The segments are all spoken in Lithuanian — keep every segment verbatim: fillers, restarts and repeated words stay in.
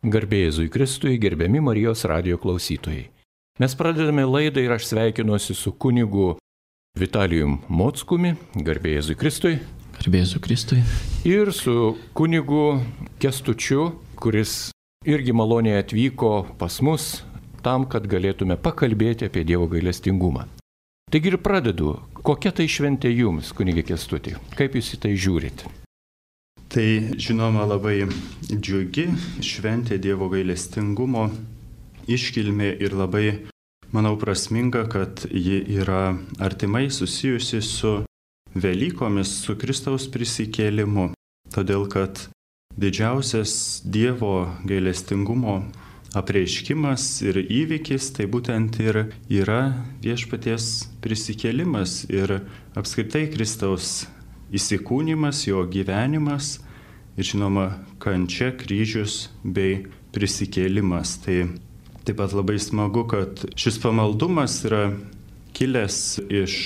Garbė Jėzui Kristui, gerbiami Marijos radijo klausytojai. Mes pradedame laidą ir aš sveikinuosi su kunigu Vitalijum Mockumi, garbė Jėzui Kristui. Garbė Jėzui Kristui. Ir su kunigu Kęstučiu, kuris irgi maloniai atvyko pas mus tam, kad galėtume pakalbėti apie Dievo gailestingumą. Taigi ir pradedu. Kokia tai šventė jums, kunigė Kęstuti? Kaip jūs į tai žiūrit? Tai žinoma labai džiugi šventė Dievo gailestingumo iškilmė ir labai, manau, prasminga, kad ji yra artimai susijusi su Velykomis, su Kristaus prisikėlimu. Todėl, kad didžiausias Dievo gailestingumo apreiškimas ir įvykis tai būtent ir yra viešpaties prisikėlimas ir apskritai Kristaus įsikūnymas, jo gyvenimas ir žinoma kančia, kryžius bei prisikėlimas. Tai taip pat labai smagu, kad šis pamaldumas yra kilęs iš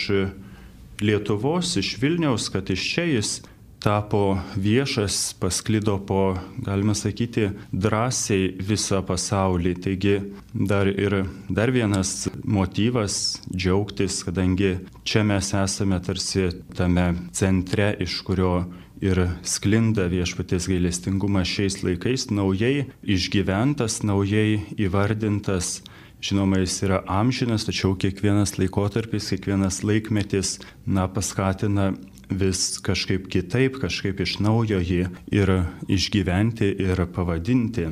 Lietuvos, iš Vilniaus, kad iš čia jis tapo viešas, pasklido po, galima sakyti, drąsiai visą pasaulį. Taigi dar ir dar vienas motyvas džiaugtis, kadangi čia mes esame tarsi tame centre, iš kurio ir sklinda viešpaties gailestingumas šiais laikais, naujai išgyventas, naujai įvardintas. Žinoma, jis yra amžinas, tačiau kiekvienas laikotarpis, kiekvienas laikmetis, na, paskatina vis kažkaip kitaip, kažkaip iš naujo jį ir išgyventi ir pavadinti.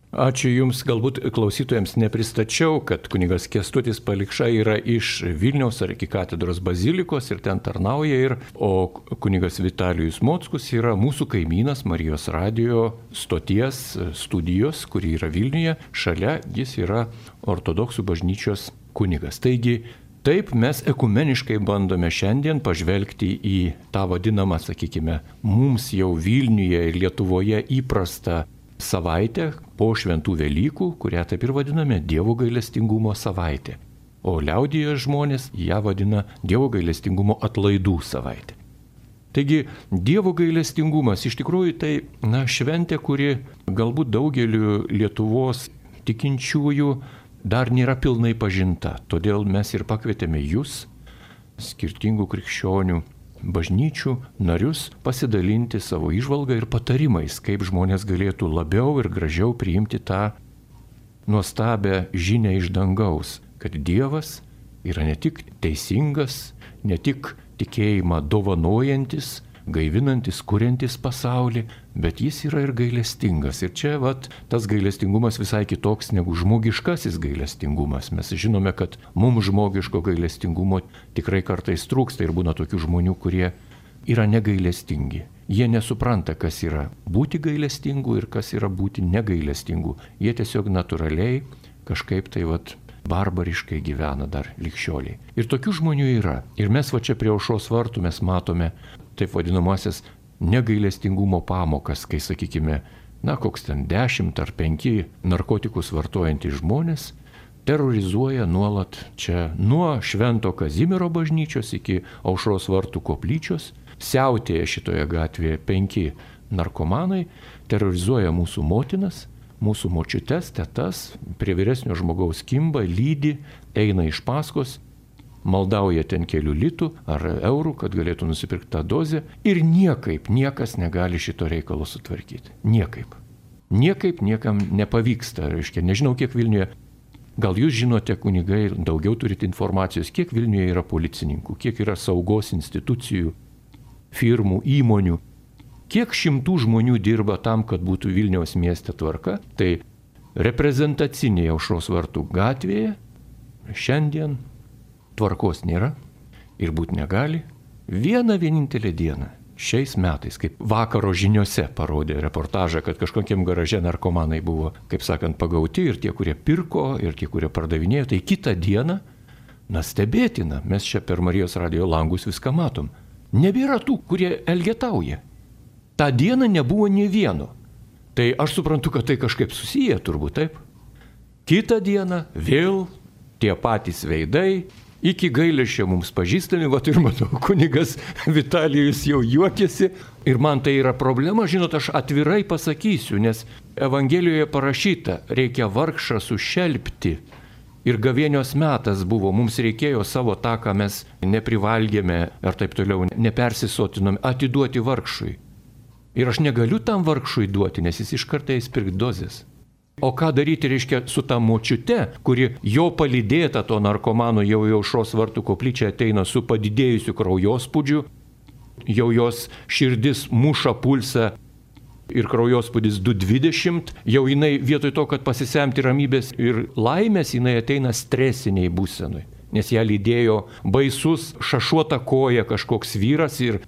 Ačiū Jums, galbūt klausytojams nepristačiau, kad kunigas Kęstutis Palikša yra iš Vilniaus arkikatedros bazilikos ir ten tarnauja, ir, o kunigas Vitalijus Mockus yra mūsų kaimynas Marijos radijo stoties studijos, kuri yra Vilniuje, šalia jis yra ortodoksų bažnyčios kunigas. Taigi, taip mes ekumeniškai bandome šiandien pažvelgti į tą vadinamą, sakykime, mums jau Vilniuje ir Lietuvoje įprastą savaitę po šventų Velykų, kurią taip ir vadiname Dievo gailestingumo savaitė. O liaudyje žmonės ją vadina Dievo gailestingumo atlaidų savaitė. Taigi, Dievo gailestingumas iš tikrųjų tai, na, šventė, kuri galbūt daugeliu Lietuvos tikinčiųjų dar nėra pilnai pažinta. Todėl mes ir pakvietėme jūs, skirtingų krikščionių bažnyčių narius, pasidalinti savo įžvalgą ir patarimais, kaip žmonės galėtų labiau ir gražiau priimti tą nuostabią žinią iš dangaus, kad Dievas yra ne tik teisingas, ne tik tikėjimą dovanojantis, gaivinantis, kuriantis pasaulį, bet jis yra ir gailestingas. Ir čia vat, tas gailestingumas visai kitoks negu žmogiškasis gailestingumas. Mes žinome, kad mums žmogiško gailestingumo tikrai kartais trūksta ir būna tokių žmonių, kurie yra negailestingi. Jie nesupranta, kas yra būti gailestingu ir kas yra būti negailestingu. Jie tiesiog natūraliai kažkaip tai vat, barbariškai gyvena dar ligšioliai. Ir tokių žmonių yra. Ir mes va čia prie aušros vartų mes matome taip vadinamasis negailestingumo pamokas, kai, sakykime, na, koks ten dešimt ar penki narkotikus vartojantys žmonės terrorizuoja nuolat čia nuo Švento Kazimiero bažnyčios iki aušros vartų koplyčios, siautėja šitoje gatvėje penki narkomanai, terrorizuoja mūsų motinas, mūsų močiutes, tetas, prie vyresnio žmogaus kimba, lydi, eina iš paskos, maldauja ten kelių litų ar eurų, kad galėtų nusipirkti tą dozę ir niekaip, niekas negali šito reikalo sutvarkyti. Niekaip. Niekaip niekam nepavyksta. Reiškia, nežinau, kiek Vilniuje, gal jūs žinote, kunigai, daugiau turite informacijos, kiek Vilniuje yra policininkų, kiek yra saugos institucijų, firmų, įmonių, kiek šimtų žmonių dirba tam, kad būtų Vilniaus mieste tvarka. Tai reprezentacinėje aušros vartų gatvėje šiandien tvarkos nėra ir būt negali. Vieną vienintelę dieną šiais metais, kaip vakaro žiniose parodė reportažą, kad kažkokiem garaže narkomanai buvo, kaip sakant, pagauti ir tie, kurie pirko, ir tie, kurie pardavinėjo, tai kitą dieną, na, stebėtina, mes čia per Marijos radijo langus viską matom. Nebėra tų, kurie elgetauja. Ta diena nebuvo nė vieno. Tai aš suprantu, kad tai kažkaip susiję turbūt, taip. Kitą dieną vėl tie patys veidai, iki gailesčio mums pažįstami, va ir matau, kunigas Vitalijus jau juokiasi. Ir man tai yra problema, žinot, aš atvirai pasakysiu, nes Evangelijoje parašyta, reikia vargšą sušelpti. Ir gavėnios metas buvo, mums reikėjo savo tą, ką mes neprivalgėme ar taip toliau, nepersisotinome, atiduoti vargšui. Ir aš negaliu tam vargšui duoti, nes jis iš karto eis pirkti dozės. O ką daryti, reiškia, su ta močiute, kuri jo palydėta to narkomano jau į Aušros vartų koplyčią ateina su padidėjusiu kraujospūdžiu, jau jos širdis muša pulsą ir kraujospūdis du dvidešimt, jau jinai vietoj to, kad pasisemti ramybės ir laimės, jinai ateina stresiniai būsenui, nes ją lydėjo baisus šašuota koja kažkoks vyras ir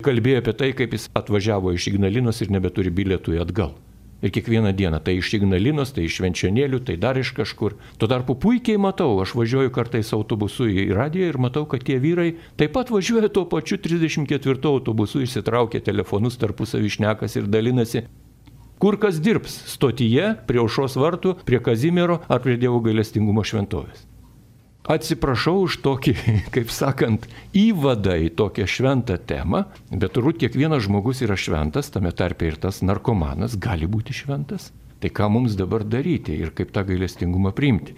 kalbėjo apie tai, kaip jis atvažiavo iš Ignalinos ir nebeturi bilietų atgal. Ir kiekvieną dieną, tai iš Ignalinos, tai iš Švenčionėlių, tai dar iš kažkur. Tuo tarpu puikiai matau, aš važiuoju kartais autobusu į radiją ir matau, kad tie vyrai taip pat važiuoja tuo pačiu trisdešimt ketvirtu autobusu, išsitraukia telefonus, tarpusavį šnekas ir dalinasi. Kur kas dirbs? Stotyje, prie Aušros vartų, prie Kazimiero ar prie Dievo gailestingumo šventovės? Atsiprašau už tokį, kaip sakant, įvadą į tokią šventą temą, bet turbūt kiekvienas žmogus yra šventas, tame tarpe ir tas narkomanas gali būti šventas. Tai ką mums dabar daryti ir kaip tą gailestingumą priimti?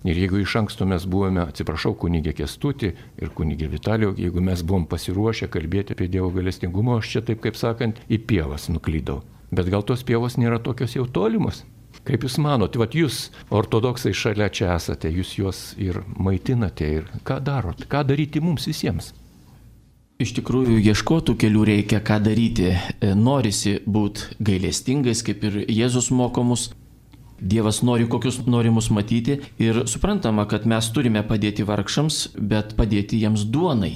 Ir jeigu iš anksto mes buvome, atsiprašau, kunigė Kęstutį ir kunigė Vitalijų, jeigu mes buvom pasiruošę kalbėti apie Dievo gailestingumą, aš čia taip, kaip sakant, į pievas nuklydau. Bet gal tos pievos nėra tokios jau tolimos? Kaip jūs manote, vat jūs, ortodoksai, šalia čia esate, jūs juos ir maitinate ir ką darot, ką daryti mums visiems? Iš tikrųjų, ieškotų kelių reikia, ką daryti. Norisi būti gailestingais, kaip ir Jėzus moko mus. Dievas nori, kokius nori mus matyti ir suprantama, kad mes turime padėti vargšams, bet padėti jiems duonai.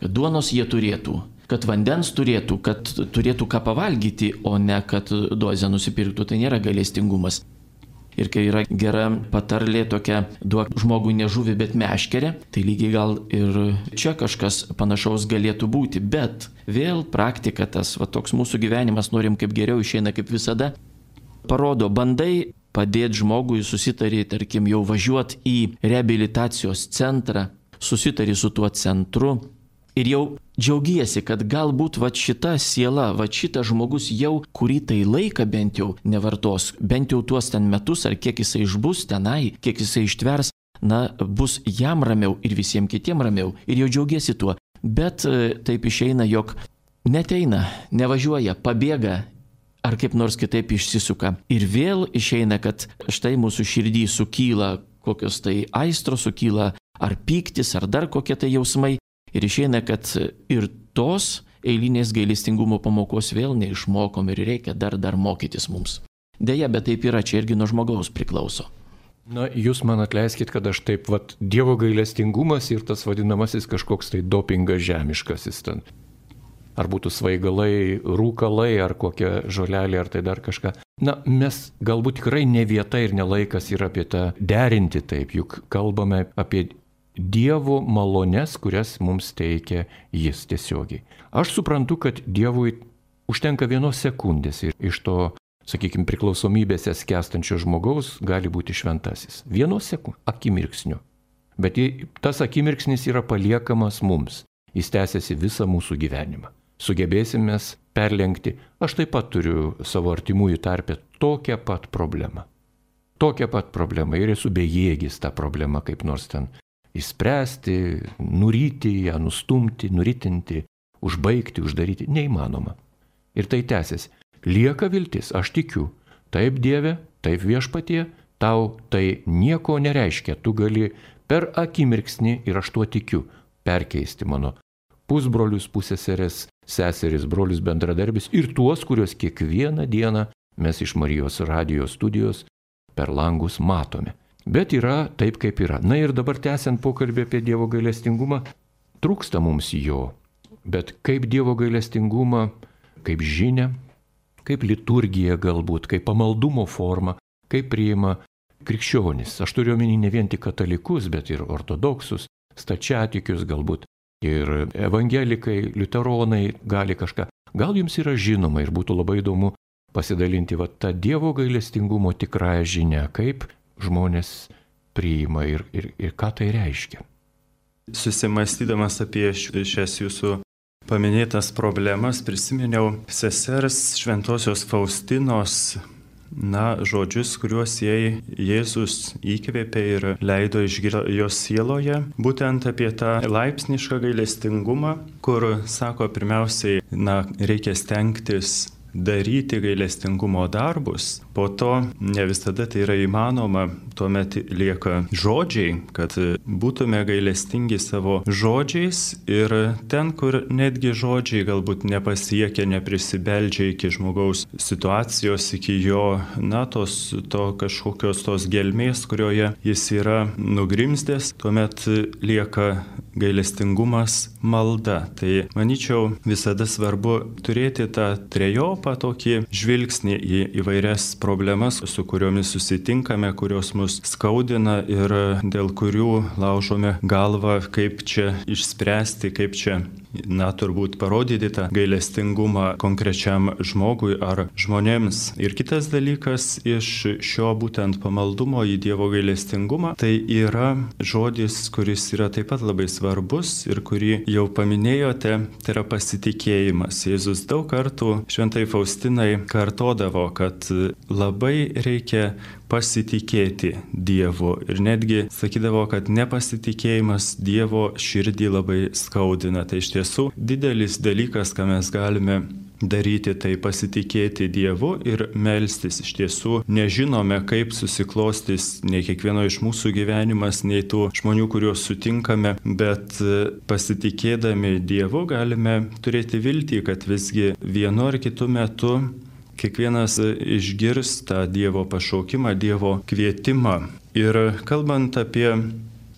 Kad duonos jie turėtų. Kad vandens turėtų, kad turėtų ką pavalgyti, o ne kad dozę nusipirktų, tai nėra gailestingumas. Ir kai yra gera patarlė tokia, duok žmogui ne žuvį, bet meškerę, tai lygiai gal ir čia kažkas panašaus galėtų būti. Bet vėl praktika tas, va toks mūsų gyvenimas, norim kaip geriau, išeina kaip visada, parodo, bandai padėti žmogui, susitari, tarkim, jau važiuoti į reabilitacijos centrą, susitari su tuo centru, ir jau džiaugiesi, kad galbūt va šita siela, va šitas žmogus jau kurį tai laiką bent jau nevartos, bent jau tuos ten metus ar kiek jisai išbus tenai, kiek jisai ištvers, na, bus jam ramiau ir visiems kitiems ramiau ir jau džiaugiesi tuo. Bet taip išeina, jog neteina, nevažiuoja, pabėga ar kaip nors kitaip išsisuka. Ir vėl išeina, kad štai mūsų širdį sukyla kokios tai aistros, sukyla ar pyktis, ar dar kokie tai jausmai. Ir išeina, kad ir tos eilinės gailestingumo pamokos vėl neišmokom ir reikia dar dar mokytis mums. Deja, bet taip yra, čia irgi nuo žmogaus priklauso. Na, jūs man atleiskit, kad aš taip, vat, Dievo gailestingumas ir tas vadinamasis kažkoks tai dopingas žemiškasis ten. Ar būtų svaigalai, rūkalai, ar kokia žolelė, ar tai dar kažką. Na, mes galbūt tikrai ne vieta ir ne laikas yra apie tą derinti taip, juk kalbame apie Dievo malones, kurias mums teikia Jis tiesiogiai. Aš suprantu, kad Dievui užtenka vienos sekundės ir iš to, sakykime, priklausomybėse skęstančio žmogaus gali būti šventasis. Vienos sekundės, akimirksniu. Bet tas akimirksnis yra paliekamas mums. Jis tęsiasi visą mūsų gyvenimą. Sugebėsime perlenkti. Aš taip pat turiu savo artimųjų tarpe tokią pat problemą. Tokią pat problemą ir esu bejėgis tą problemą kaip nors ten įspręsti, nuryti ją, nustumti, nuritinti, užbaigti, uždaryti. Neįmanoma. Ir tai tęsiasi. Lieka viltis, aš tikiu. Taip, Dieve, taip Viešpatie, tau tai nieko nereiškia. Tu gali per akimirksnį, ir aš tuo tikiu, perkeisti mano pusbrolius, pusseserės, seseris, brolius, bendradarbis ir tuos, kuriuos kiekvieną dieną mes iš Marijos radijos studijos per langus matome. Bet yra taip, kaip yra. Na ir dabar tęsiant pokalbį apie Dievo gailestingumą, trūksta mums jo. Bet kaip Dievo gailestingumą, kaip žinia, kaip liturgija galbūt, kaip pamaldumo forma, kaip priima krikščionis. Aš turiu omeny ne vien tik katalikus, bet ir ortodoksus, stačiatikius galbūt. Ir evangelikai, liuteronai gali kažką. Gal jums yra žinoma ir būtų labai įdomu pasidalinti va, tą Dievo gailestingumo tikrąją žinią, kaip žmonės priima ir, ir, ir ką tai reiškia. susimastydamas apie šias jūsų paminėtas problemas, prisiminiau sesers Šventosios Faustinos, na, žodžius, kuriuos jai Jėzus įkvėpė ir leido išgirsti jos sieloje, būtent apie tą laipsnišką gailestingumą, kur, sako, pirmiausiai, na, reikia stengtis daryti gailestingumo darbus, po to ne visada tai yra įmanoma, tuomet lieka žodžiai, kad būtume gailestingi savo žodžiais ir ten, kur netgi žodžiai galbūt nepasiekia, neprisibeldžia iki žmogaus situacijos, iki jo, na, tos, to kažkokios tos gelmės, kurioje jis yra nugrimzdęs, tuomet lieka gailestingumas, malda. Tai, manyčiau, visada svarbu turėti tą trejopą tokį žvilgsnį į įvairias problemas, su kuriomis susitinkame, kurios mus skaudina ir dėl kurių laužome galvą, kaip čia išspręsti, kaip čia, na, turbūt parodyti tą gailestingumą konkrečiam žmogui ar žmonėms. Ir kitas dalykas iš šio būtent pamaldumo į Dievo gailestingumą, tai yra žodis, kuris yra taip pat labai svarbus ir kurį jau paminėjote, tai yra pasitikėjimas. Jėzus daug kartų Šventai Faustinai kartodavo, kad labai reikia pasitikėti Dievu ir netgi sakydavo, kad nepasitikėjimas Dievo širdį labai skaudina. Tai iš tiesų didelis dalykas, ką mes galime daryti, tai pasitikėti Dievu ir melstis. Iš tiesų nežinome, kaip susiklostys nei kiekvieno iš mūsų gyvenimas, nei tų žmonių, kuriuos sutinkame, bet pasitikėdami Dievu galime turėti viltį, kad visgi vienu ar kitu metu kiekvienas išgirs tą Dievo pašaukimą, Dievo kvietimą. Ir kalbant apie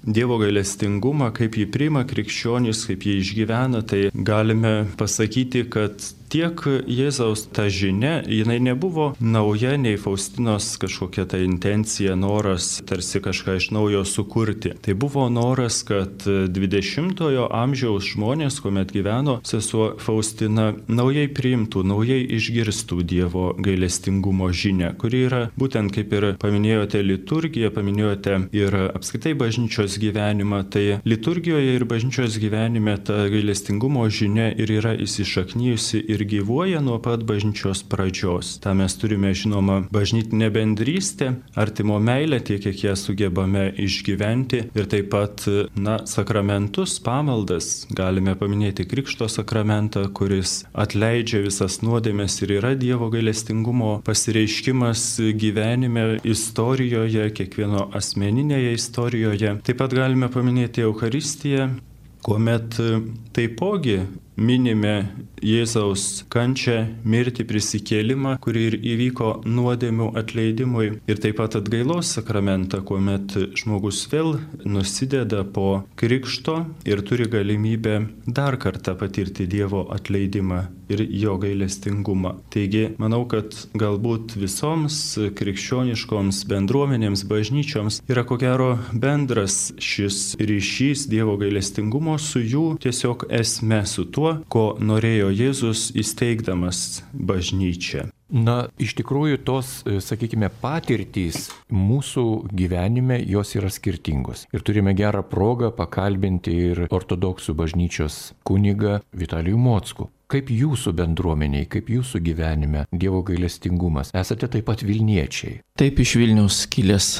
Dievo gailestingumą, kaip jį priima krikščionys, kaip jį išgyvena, tai galime pasakyti, kad tiek Jėzaus ta žinia, jinai nebuvo nauja, nei Faustinos kažkokia ta intencija, noras tarsi kažką iš naujo sukurti. Tai buvo noras, kad dvidešimtojo amžiaus žmonės, kuomet gyveno sesuo Faustina, naujai priimtų, naujai išgirstų Dievo gailestingumo žinią, kuri yra būtent, kaip ir paminėjote liturgiją, paminėjote ir apskritai bažnyčios gyvenimą. Tai liturgijoje ir bažnyčios gyvenime ta gailestingumo žinia ir yra įsišaknyjusi ir gyvuoja nuo pat bažnyčios pradžios. Ta mes turime, žinoma, bažnytinę bendrystę, artimo meilę, tiek kiek ją sugebame išgyventi ir taip pat, na, sakramentus, pamaldas. Galime paminėti Krikšto sakramentą, kuris atleidžia visas nuodėmes ir yra Dievo gailestingumo pasireiškimas gyvenime, istorijoje, kiekvieno asmeninėje istorijoje. Taip pat galime paminėti Eucharistiją, kuomet taipogi minime Jėzaus kančią, mirtį, prisikėlimą, kuri ir įvyko nuodėmių atleidimui, ir taip pat atgailos sakramentą, kuomet žmogus vėl nusideda po krikšto ir turi galimybę dar kartą patirti Dievo atleidimą ir jo gailestingumą. Taigi, manau, kad galbūt visoms krikščioniškoms bendruomenėms, bažnyčioms yra ko gero bendras šis ryšys Dievo gailestingumo su jų tiesiog esme, su tuo, ko norėjo Jėzus įsteigdamas bažnyčią. Na, iš tikrųjų tos, sakykime, patirtys mūsų gyvenime, jos yra skirtingos. Ir turime gerą progą pakalbinti ir ortodoksų bažnyčios kunigą Vitalijų Mockų. Kaip jūsų bendruomeniai, kaip jūsų gyvenime Dievo gailestingumas? Esate taip pat Vilniečiai. Taip, iš Vilniaus kilęs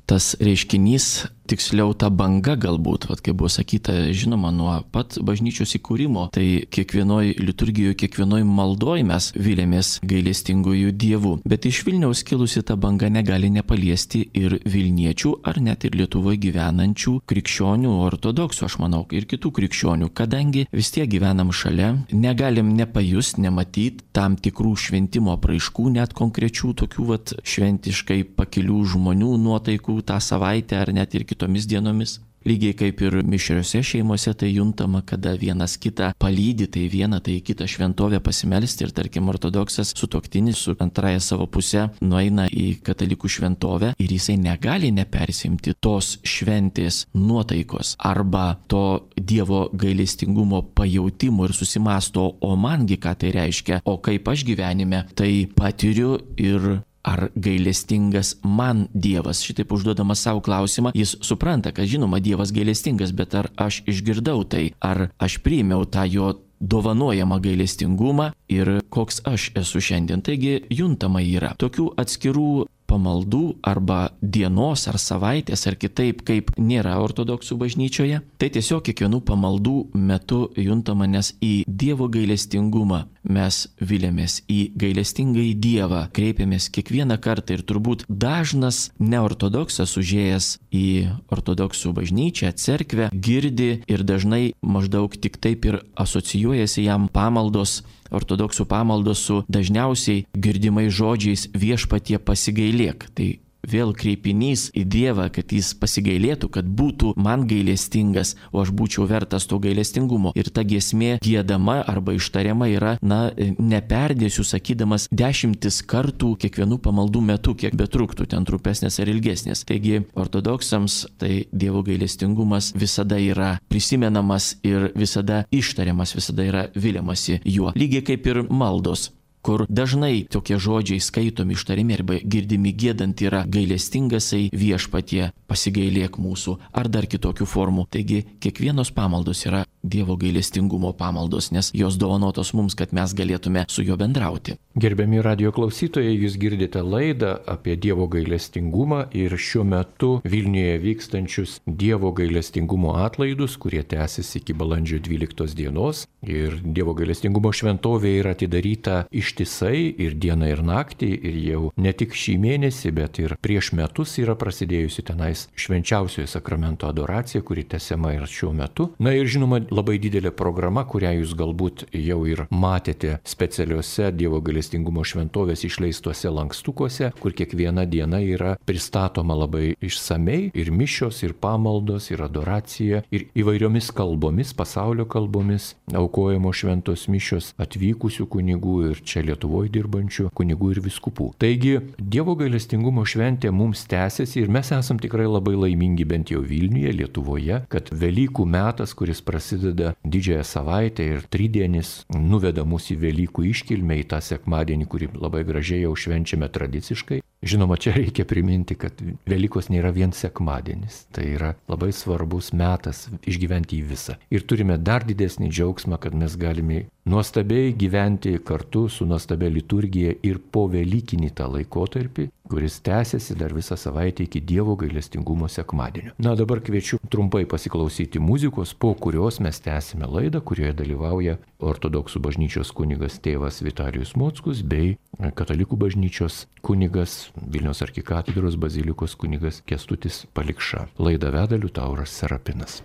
tas reiškinys, tiksliau ta banga galbūt, vat, kaip buvo sakyta, žinoma, nuo pat bažnyčios įkūrimo, tai kiekvienoj liturgijoje, kiekvienoj maldoj mes vilėmės gailestingųjų dievų. Bet iš Vilniaus kilusi ta banga negali nepaliesti ir Vilniečių, ar net ir Lietuvoje gyvenančių krikščionių, ortodoksų, aš manau, ir kitų krikščionių, kadangi vis tiek gyvenam šalia, negalim nepajust, nematyti tam tikrų šventimo apraiškų, net konkrečių tokių vat šventiškai pakilių žmonių nuotaikų tą savaitę ar net ir kitomis dienomis. Lygiai kaip ir mišriose šeimose tai juntama, kada vienas kitą palydi, tai vieną, tai kitą šventovę pasimelsti ir tarkim ortodoksas sutuoktinis su antraja savo pusė nueina į katalikų šventovę ir jisai negali nepersimti tos šventės nuotaikos arba to Dievo gailestingumo pajautimo ir susimasto, o mangi ką tai reiškia, o kaip aš gyvenime tai patiriu ir ar gailestingas man Dievas. Šitaip užduodamas savo klausimą, jis supranta, kad žinoma Dievas gailestingas, bet ar aš išgirdau tai, ar aš priėmiau tą jo dovanojamą gailestingumą ir koks aš esu šiandien. Taigi juntama yra tokių atskirų pamaldų arba dienos ar savaitės ar kitaip, kaip nėra ortodoksų bažnyčioje. Tai tiesiog kiekvienų pamaldų metu juntama, nes į Dievo gailestingumą mes vilėmės, į gailestingąjį Dievą kreipiamės kiekvieną kartą ir turbūt dažnas neortodoksas užėjęs į ortodoksų bažnyčią, cerkvę, girdi ir dažnai maždaug tik taip ir asocijuojasi jam pamaldos, ortodoksų pamaldos su dažniausiai girdimais žodžiais viešpatie pasigailėk. Tai vėl kreipinys į Dievą, kad jis pasigailėtų, kad būtų man gailestingas, o aš būčiau vertas to gailestingumo. Ir ta giesmė giedama arba ištariama yra, na, neperdėsiu sakydamas dešimtis kartų kiekvienų pamaldų metu, kiek betruktų, ten trumpesnės ar ilgesnės. Taigi ortodoksams tai Dievo gailestingumas visada yra prisimenamas ir visada ištariamas, visada yra viliamasi juo. Lygiai kaip ir maldos, kur dažnai tokie žodžiai skaitomi, ištarimi arba girdimi giedant yra gailestingasai viešpatie, pasigailėk mūsų, ar dar kitokių formų. Taigi kiekvienos pamaldos yra Dievo gailestingumo pamaldos, nes jos dovanotos mums, kad mes galėtume su juo bendrauti. Gerbiami radijo klausytojai, jūs girdite laidą apie Dievo gailestingumą ir šiuo metu Vilniuje vykstančius Dievo gailestingumo atlaidus, kurie tęsis iki balandžio dvyliktos dienos. Ir Dievo gailestingumo šventovė yra atidaryta ištisai ir dieną ir naktį, ir jau ne tik šį mėnesį, bet ir prieš metus yra prasidėjusi tenais švenčiausiojo sakramento adoracija, kuri tęsiama ir šiuo metu. Na ir žinoma, labai didelė programa, kurią jūs galbūt jau ir matėte specialiuose Dievo gailestingumo šventovės išleistuose lankstukuose, kur kiekviena diena yra pristatoma labai išsamei, ir mišios, ir pamaldos, ir adoracija, ir įvairiomis kalbomis, pasaulio kalbomis, aukojamos šventos mišios atvykusių kunigų ir čia Lietuvoje dirbančių kunigų ir vyskupų. Taigi, Dievo gailestingumo šventė mums tęsiasi ir mes esam tikrai labai laimingi, bent jau Vilniuje, Lietuvoje, kad Velykų metas, kuris prasideda didžiąją savaitę ir tridienis, nuveda mus į Velykų iškilmę, į tą sekmadienį, kurį labai gražiai jau švenčiame tradiciškai. Žinoma, čia reikia priminti, kad Velykos nėra vien sekmadienis. Tai yra labai svarbus metas išgyventi į visą. Ir turime dar didesnį džiaugsmą, kad mes galime nuostabiai gyventi kartu su nuostabia liturgija ir po Velykinį tą laikotarpį, kuris tęsiasi dar visą savaitę iki Dievo gailestingumo sekmadienio. Na, dabar kviečiu trumpai pasiklausyti muzikos, po kurios mes tęsime laidą, kurioje dalyvauja ortodoksų bažnyčios kunigas tėvas Vitalijus Mockus bei katalikų bažnyčios kunigas Vilniaus arkikatedros bazilikos kunigas Kęstutis Palikša. Laidą veda Liutauras Serapinas.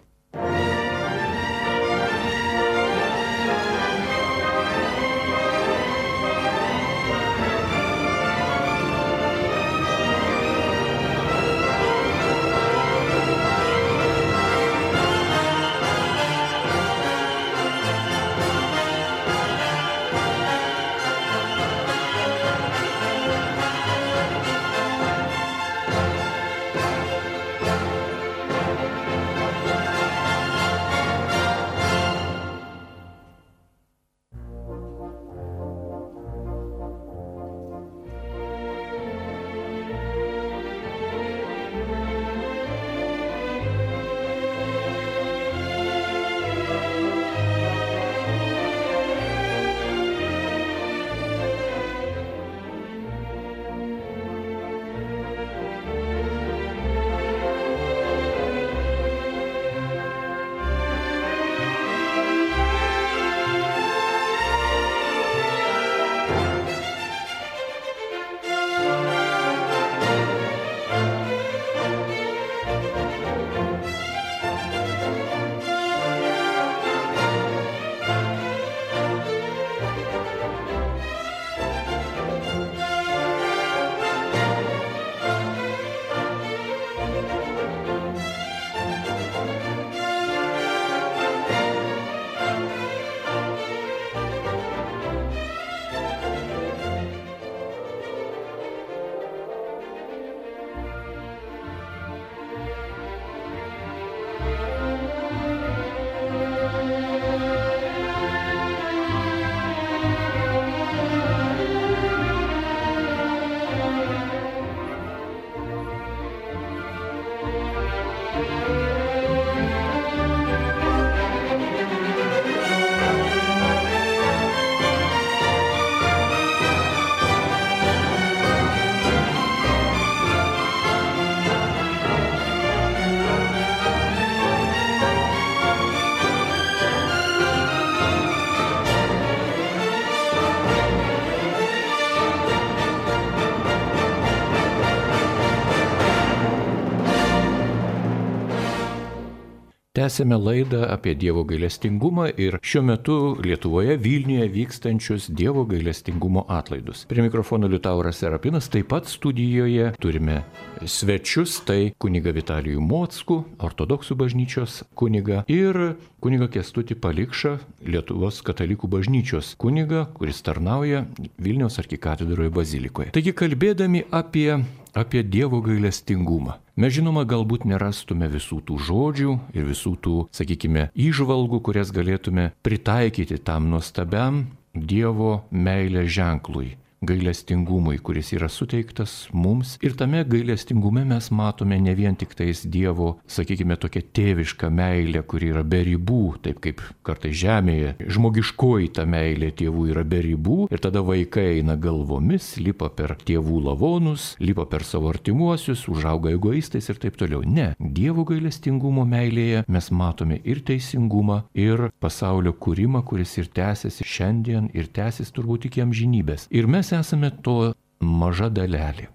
Tęsėme laidą apie Dievo gailestingumą ir šiuo metu Lietuvoje Vilniuje vykstančius Dievo gailestingumo atlaidus. Prie mikrofono Liutauras Serapinas, taip pat studijoje turime svečius, tai kunigą Vitalijų Mockų, ortodoksų bažnyčios kunigą, ir kunigą Kęstutį Palikšą, Lietuvos katalikų bažnyčios kunigą, kuris tarnauja Vilniaus arkikatedroje bazilikoje. Taigi kalbėdami apie apie Dievo gailestingumą. Mes žinoma galbūt nerastume visų tų žodžių ir visų tų, sakykime, įžvalgų, kurias galėtume pritaikyti tam nuostabiam Dievo meilės ženklui, gailestingumui, kuris yra suteiktas mums. Ir tame gailestingume mes matome ne vien tik tais Dievo, sakykime, tokia tėviška meilė, kuri yra be ribų, taip kaip kartais žemėje žmogiškoji ta meilė tėvų yra be ribų, ir tada vaikai eina galvomis, lipa per tėvų lavonus, lipa per savo artimuosius, užauga egoistais ir taip toliau. Ne, Dievo gailestingumo meilėje mes matome ir teisingumą, ir pasaulio kūrimą, kuris ir tęsiasi šiandien, ir tęsis turbūt iki amžinybės. Ir mes esame to maža dalelė.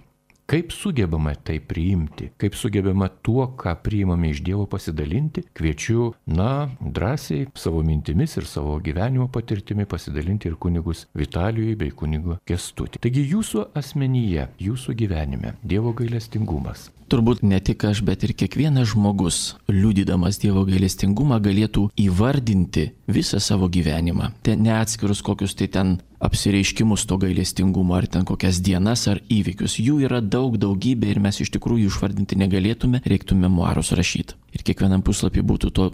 Kaip sugebame tai priimti, kaip sugebame tuo, ką priimame iš Dievo, pasidalinti, kviečiu, na, drąsiai savo mintimis ir savo gyvenimo patirtimi pasidalinti ir kunigus Vitalijui bei kunigu Kęstutį. Taigi jūsų asmenyje, jūsų gyvenime Dievo gailestingumas. Turbūt ne tik aš, bet ir kiekvienas žmogus, liudydamas Dievo gailestingumą, galėtų įvardinti visą savo gyvenimą. Ten ne atskirus kokius tai ten apsireiškimus to gailestingumo, ar ten kokias dienas ar įvykius. Jų yra daug, daugybė ir mes iš tikrųjų išvardinti negalėtume, reiktų memuarus rašyti. Ir kiekvienam puslapį būtų to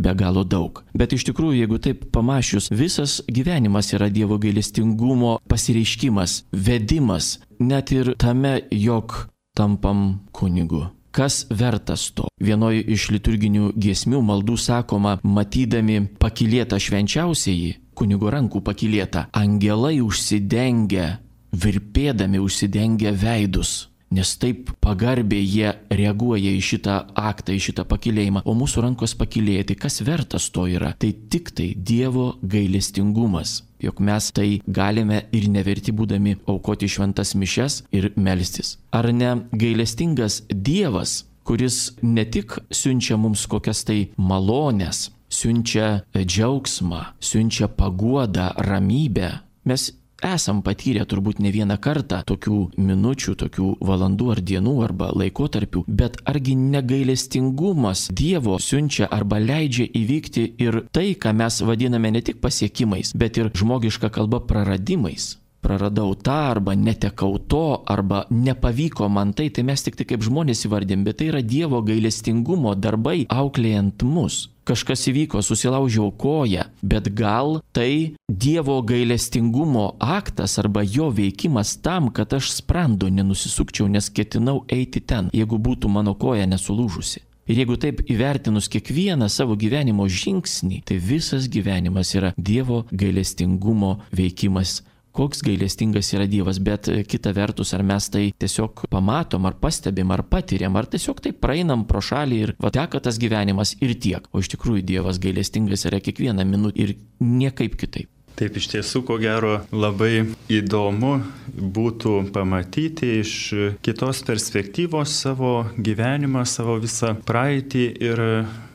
be galo daug. Bet iš tikrųjų, jeigu taip pamačius, visas gyvenimas yra Dievo gailestingumo pasireiškimas, vedimas, net ir tame, jog tampam kunigu. Kas vertas to? Vienoje iš liturginių giesmių maldų sakoma, matydami pakylėtą švenčiausiąjį, kunigo rankų pakylėtą, angelai užsidengia, virpėdami užsidengia veidus. Nes taip pagarbiai jie reaguoja į šitą aktą, į šitą pakylėjimą, o mūsų rankos pakylėja. Tai kas vertas to yra? Tai tik tai Dievo gailestingumas. Jog mes tai galime ir neverti būdami aukoti šventas mišias ir melstis. Ar ne gailestingas Dievas, kuris ne tik siunčia mums kokias tai malones, siunčia džiaugsmą, siunčia paguodą, ramybę. Mes esam patyrę turbūt ne vieną kartą tokių minučių, tokių valandų ar dienų arba laikotarpių, bet argi negailestingumas Dievo siunčia arba leidžia įvykti ir tai, ką mes vadiname ne tik pasiekimais, bet ir žmogiška kalba praradimais. Praradau tą arba netekau to arba nepavyko man tai, tai mes tik tai kaip žmonės įvardėm, bet tai yra Dievo gailestingumo darbai auklėjant mus. Kažkas įvyko, susilaužiau koją, bet gal tai Dievo gailestingumo aktas arba jo veikimas tam, kad aš sprando nenusisukčiau, nes ketinau eiti ten, jeigu būtų mano koja nesulūžusi. Ir jeigu taip įvertinus kiekvieną savo gyvenimo žingsnį, tai visas gyvenimas yra Dievo gailestingumo veikimas. Koks gailestingas yra Dievas, bet kita vertus, ar mes tai tiesiog pamatom, ar pastebim, ar patiriam, ar tiesiog taip praeinam pro šalį ir va teka tas gyvenimas ir tiek. O iš tikrųjų Dievas gailestingas yra kiekvieną minutę ir niekaip kitaip. Taip, iš tiesų, ko gero, labai įdomu būtų pamatyti iš kitos perspektyvos savo gyvenimą, savo visą praeitį ir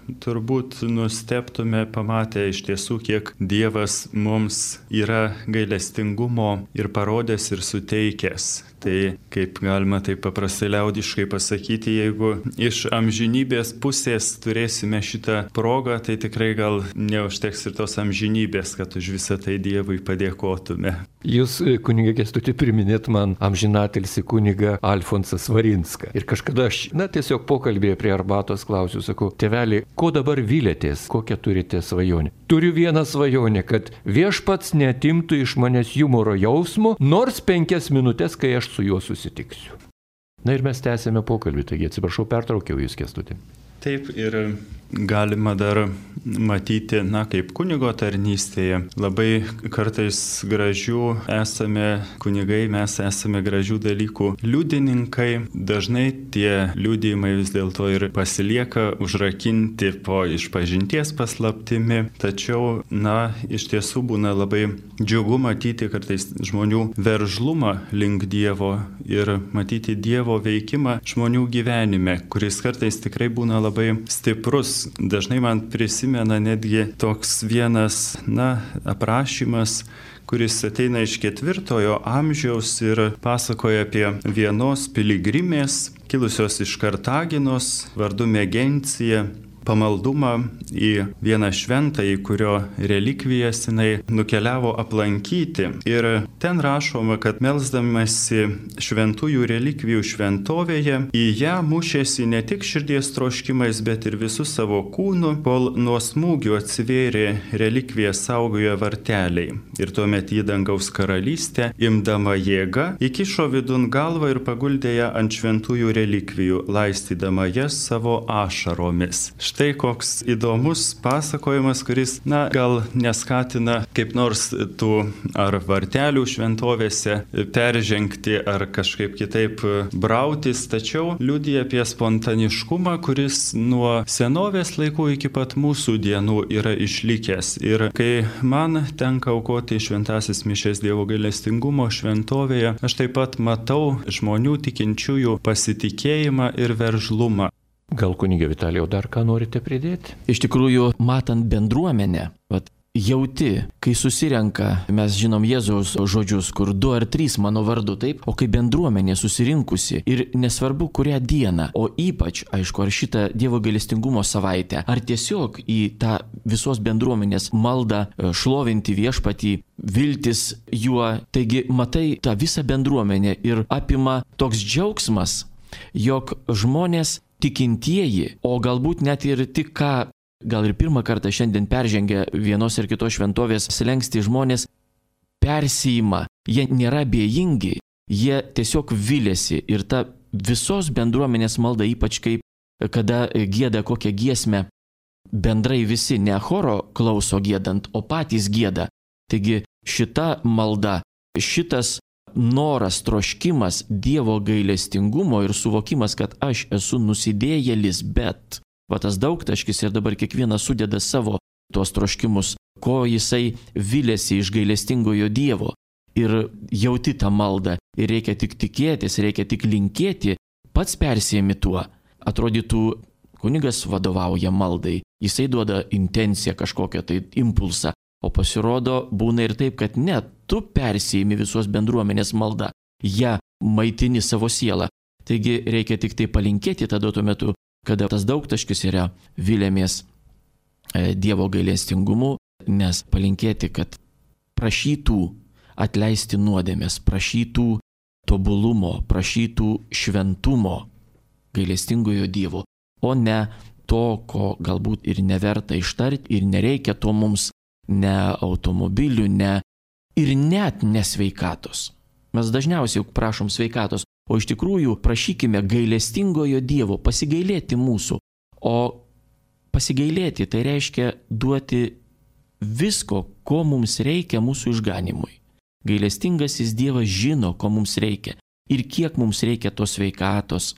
turbūt nustebtume pamatę iš tiesų, kiek Dievas mums yra gailestingumo ir parodęs ir suteikęs. Tai kaip galima taip paprastai liaudiškai pasakyti, jeigu iš amžinybės pusės turėsime šitą progą, tai tikrai gal neužteks ir tos amžinybės, kad už visą tai Dievui padėkotume. Jūs, kunigė Kęstutį, priminėt man amžinatilsį kunigą Alfonsą Svarinską. Ir kažkada aš, na, tiesiog pokalbėje prie arbatos klausiu, sakau, tėveli, ko dabar vylėtės, kokią turite svajonę? Turiu vieną svajonę, kad viešpats neatimtų iš manęs humoro jausmo, nors penkias minutės, kai aš su juo susitiksiu. Na ir mes tęsėme pokalbį, taigi atsiprašau, pertraukiau jūs, Kęstutį. Taip, ir galima dar matyti, na, kaip kunigo tarnystėje, labai kartais gražių esame kunigai, mes esame gražių dalykų liudininkai. Dažnai tie liudijimai vis dėlto ir pasilieka užrakinti po išpažinties paslaptimi. Tačiau, na, iš tiesų būna labai džiugu matyti kartais žmonių veržlumą link Dievo ir matyti Dievo veikimą žmonių gyvenime, kuris kartais tikrai būna labai stiprus. Jėzaus dažnai man prisimena netgi toks vienas, na, aprašymas, kuris ateina iš ketvirtojo amžiaus ir pasakoja apie vienos piligrimės, kilusios iš Kartaginos, vardu Megencija, pamaldumą į vieną šventąjį, kurio relikvijas jinai nukeliavo aplankyti. Ir ten rašoma, kad melsdamasi šventųjų relikvijų šventovėje, į ją mušėsi ne tik širdies troškimais, bet ir visų savo kūnų, kol nuo smūgių atsivėrė relikviją saugojo varteliai. Ir tuomet į dangaus karalystę, imdama jėgą, įkišo vidun galvą ir paguldė ją ant šventųjų relikvijų, laistydama jas savo ašaromis. Štai koks įdomus pasakojimas, kuris, na, gal neskatina kaip nors tų ar vartelių šventovėse peržengti ar kažkaip kitaip brautis, tačiau liudija apie spontaniškumą, kuris nuo senovės laikų iki pat mūsų dienų yra išlikęs. Ir kai man tenka aukoti šventasis mišias Dievo gailestingumo šventovėje, aš taip pat matau žmonių tikinčiųjų pasitikėjimą ir veržlumą. Gal kunige Vitalijau dar ką norite pridėti? Iš tikrųjų, matant bendruomenę, vat, jauti, kai susirenka, mes žinom Jėzaus žodžius, kur du ar trys mano vardu, taip, o kai bendruomenė susirinkusi ir nesvarbu kurią dieną, o ypač, aišku, ar šitą Dievo gailestingumo savaitę, ar tiesiog į tą visos bendruomenės maldą šlovinti viešpatį, viltis juo, taigi matai tą visą bendruomenę ir apima toks džiaugsmas, jog žmonės tikintieji, o galbūt net ir tik ką, gal ir pirmą kartą šiandien peržengę vienos ar kitos šventovės slenkstį žmonės persijima, jie nėra abejingi, jie tiesiog viliasi ir ta visos bendruomenės malda, ypač kaip kada gieda kokią giesmę, bendrai visi ne choro klauso giedant, o patys gieda. Taigi šita malda, šitas noras, troškimas Dievo gailestingumo ir suvokimas, kad aš esu nusidėjėlis, bet va tas daugtaškis ir dabar kiekvienas sudeda savo tuos troškimus, ko jisai vilėsi iš gailestingojo Dievo. Ir jauti tą maldą ir reikia tik tikėtis, reikia tik linkėti, pats persijami tuo. Atrodytų, kunigas vadovauja maldai, jisai duoda intenciją kažkokią tai impulsą. O pasirodo, būna ir taip, kad ne, tu persijimi visos bendruomenės maldą, ją maitini savo sielą. Taigi reikia tik tai palinkėti tada tuo metu, kada tas daugtaškis yra vilėmės Dievo gailestingumu, nes palinkėti, kad prašytų atleisti nuodėmės, prašytų tobulumo, prašytų šventumo gailestingojo Dievo, o ne to, ko galbūt ir neverta ištarti ir nereikia to mums, ne automobilių, ne ir net nesveikatos. Mes dažniausiai prašom sveikatos, o iš tikrųjų prašykime gailestingojo Dievo pasigailėti mūsų. O pasigailėti tai reiškia duoti visko, ko mums reikia mūsų išganimui. Gailestingasis Dievas žino, ko mums reikia ir kiek mums reikia tos sveikatos,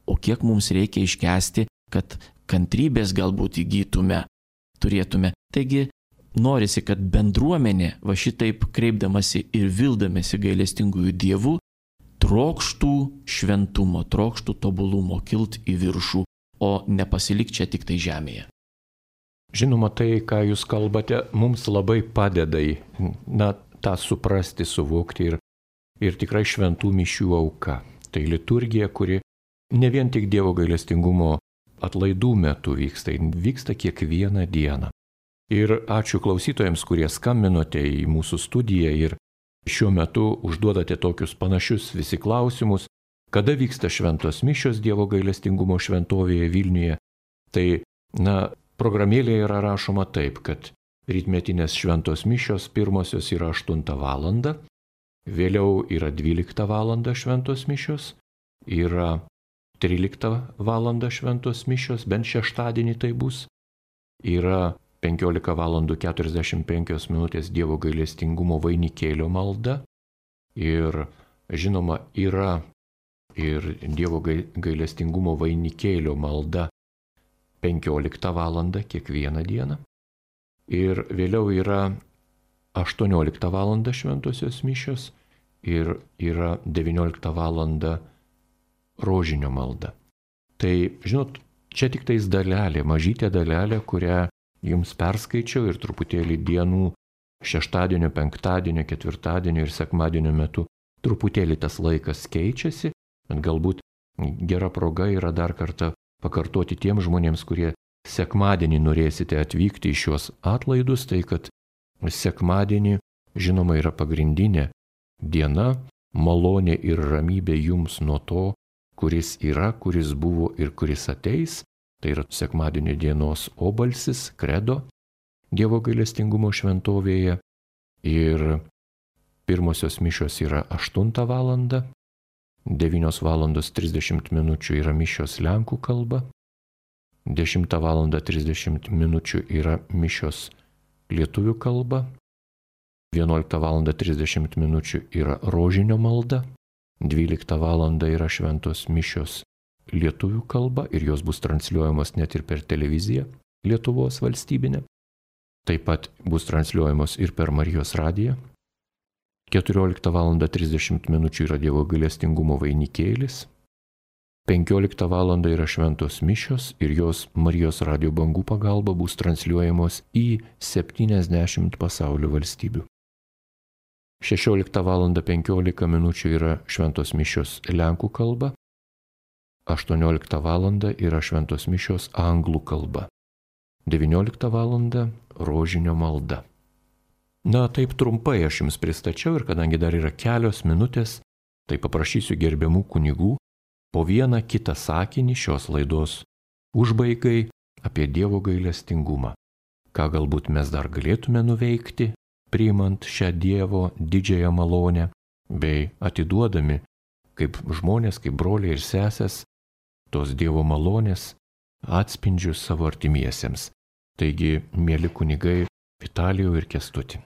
o kiek mums reikia iškęsti, kad kantrybės galbūt įgytume, turėtume. Taigi, norisi, kad bendruomenė, va šitaip kreipdamasi ir vildamasi gailestingųjų Dievų, trokštų šventumo, trokštų tobulumo, kilt į viršų, o nepasilik čia tik tai žemėje. Žinoma, tai, ką jūs kalbate, mums labai padeda į, na, tą suprasti, suvokti ir, ir tikrai šventų mišių auka. Tai liturgija, kuri ne vien tik Dievo gailestingumo atlaidų metu vyksta, vyksta kiekvieną dieną. Ir ačiū klausytojams, kurie skambinote į mūsų studiją ir šiuo metu užduodate tokius panašius visi klausimus, kada vyksta šventos mišios Dievo gailestingumo šventovėje Vilniuje. Tai, na, programėlėje yra rašoma taip, kad rytmetinės šventos mišios pirmosios yra aštuntą valandą, vėliau yra dvyliktą valandą šventos mišios, yra tryliktą valandą šventos mišios, bent šeštadienį tai bus, yra penkiolika valandų keturiasdešimt penkios minutės Dievo gailestingumo vainikėlio malda ir, žinoma, yra ir Dievo gailestingumo vainikėlio malda penkioliktą valandą kiekvieną dieną. Ir vėliau yra aštuonioliktą valandą šventosios mišios ir yra devynioliktą valandą rožinio malda. Tai, žinot, Čia tik tais dalelė, mažytė dalelė, kurią jums perskaičiau ir truputėlį dienų šeštadienio, penktadienio, ketvirtadienio ir sekmadienio metu truputėlį tas laikas keičiasi, bet galbūt gera proga yra dar kartą pakartoti tiem žmonėms, kurie sekmadienį norėsite atvykti į šios atlaidus, tai kad sekmadienį, žinoma, yra pagrindinė diena, malonė ir ramybė jums nuo to, kuris yra, kuris buvo ir kuris ateis. Tai yra sekmadienio dienos obalsis, kredo, Dievo gailestingumo šventovėje. Ir pirmosios mišios yra aštuntą valandą, devynios valandos trisdešimt minučių yra mišios lenkų kalba, dešimtą valandą trisdešimt minučių yra mišios lietuvių kalba, vienuoliktą valandą trisdešimt minučių yra rožinio malda, dvyliktą valandą yra šventos mišios lietuvių kalba ir jos bus transliuojamos net ir per televiziją Lietuvos valstybinę. Taip pat bus transliuojamos ir per Marijos radiją. keturioliktą valandą trisdešimt minučių yra Dievo gailestingumo vainikėlis. penkioliktą valandą yra šventos mišios ir jos Marijos radijo bangų pagalba bus transliuojamos į septyniasdešimt pasaulio valstybių. šešioliktą valandą penkiolika minučių yra šventos mišios lenkų kalba. aštuonioliktą valandą yra šventos mišios anglų kalba. devynioliktą valandą rožinio malda. Na, taip trumpai aš jums pristačiau ir kadangi dar yra kelios minutės, tai paprašysiu gerbiamų kunigų po vieną kitą sakinį šios laidos užbaigai apie Dievo gailestingumą. Ką galbūt mes dar galėtume nuveikti, priimant šią Dievo didžiąją malonę, bei atiduodami kaip žmonės, kaip broliai ir sesės, tos Dievo malonės atspindžius savo artimiesiems. Taigi, mėly kunigai Vitalijau ir Kęstuti.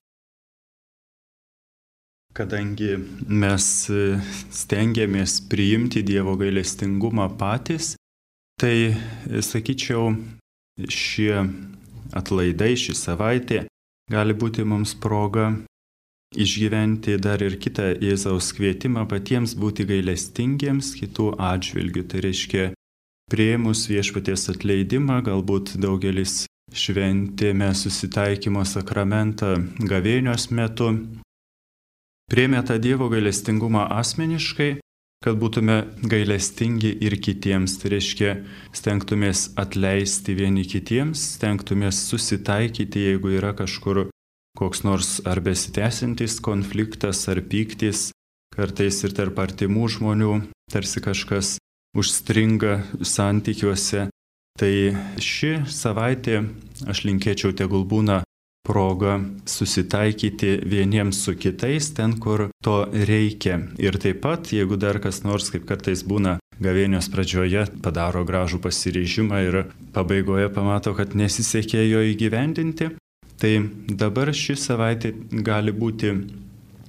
Kadangi mes stengiamės priimti Dievo gailestingumą patys, tai, sakyčiau, šie atlaidai, ši savaitė gali būti mums proga išgyventi dar ir kitą Jėzaus kvietimą patiems būti gailestingiems kitų atžvilgių. Tai reiškia, priėmus viešpaties atleidimą, galbūt daugelis šventėme susitaikymo sakramentą gavėnios metu, priėmė tą Dievo gailestingumą asmeniškai, kad būtume gailestingi ir kitiems. Tai reiškia, stengtumės atleisti vieni kitiems, stengtumės susitaikyti, jeigu yra kažkur koks nors ar besitęsiantis konfliktas ar pyktis, kartais ir tarp artimų žmonių, tarsi kažkas užstringa santykiuose. Tai ši savaitė, aš linkėčiau, tegul būna proga susitaikyti vieniems su kitais ten, kur to reikia. Ir taip pat, jeigu dar kas nors, kaip kartais būna gavėnios pradžioje, padaro gražų pasiryžimą ir pabaigoje pamato, kad nesisekė jo įgyvendinti, tai dabar ši savaitė gali būti,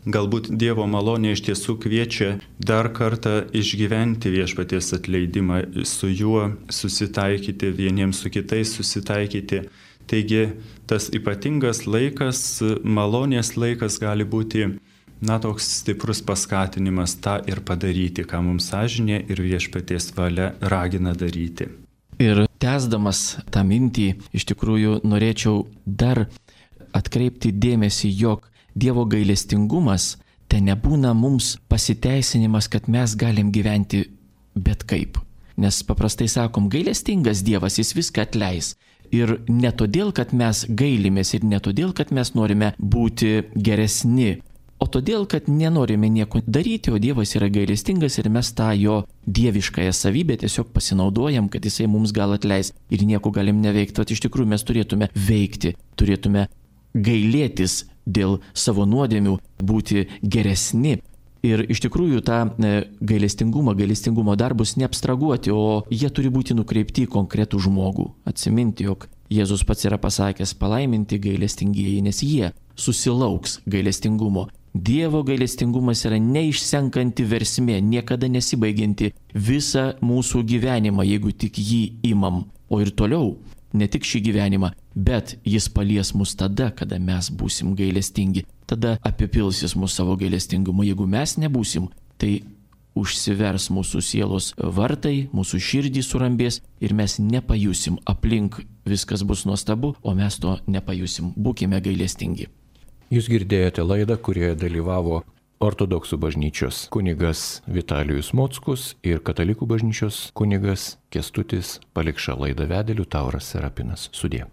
galbūt Dievo malonė iš tiesų kviečia dar kartą išgyventi viešpaties atleidimą, su juo susitaikyti, vieniems su kitais susitaikyti. Taigi tas ypatingas laikas, malonės laikas gali būti, na, toks stiprus paskatinimas tą ir padaryti, ką mums sąžinė ir viešpaties valia ragina daryti. Ir tęsdamas tą mintį, iš tikrųjų norėčiau dar atkreipti dėmesį, jog Dievo gailestingumas tai nebūna mums pasiteisinimas, kad mes galim gyventi bet kaip. Nes paprastai sakom, gailestingas Dievas, jis viską atleis. Ir ne todėl, kad mes gailimės ir ne todėl, kad mes norime būti geresni, o todėl, kad nenorime nieko daryti, o Dievas yra gailestingas ir mes tą jo dieviškąją savybę tiesiog pasinaudojam, kad jisai mums gal atleis ir nieko galim neveikti. Vat iš tikrųjų mes turėtume veikti, turėtume gailėtis dėl savo nuodėmių, būti geresni. Ir iš tikrųjų tą gailestingumą, gailestingumo darbus neabstraguoti, o jie turi būti nukreipti į konkretų žmogų. Atsiminti, jog Jėzus pats yra pasakęs, palaiminti gailestingieji, nes jie susilauks gailestingumo. Dievo gailestingumas yra neišsenkanti versmė, niekada nesibaigianti visą mūsų gyvenimą, jeigu tik jį imam. O ir toliau, ne tik šį gyvenimą, bet jis palies mus tada, kada mes būsim gailestingi. Tada apipils jis mūsų savo gailestingumu. Jeigu mes nebūsim, tai užsivers mūsų sielos vartai, mūsų širdį surambės ir mes nepajusim, aplink viskas bus nuostabu, o mes to nepajusim. Būkime gailestingi. Jūs girdėjote laidą, kurioje dalyvavo Ortodoksų bažnyčios kunigas Vitalijus Mockus ir Katalikų bažnyčios kunigas Kęstutis Palikša. Laidą vedė Liutauras Serapinas. Sudie.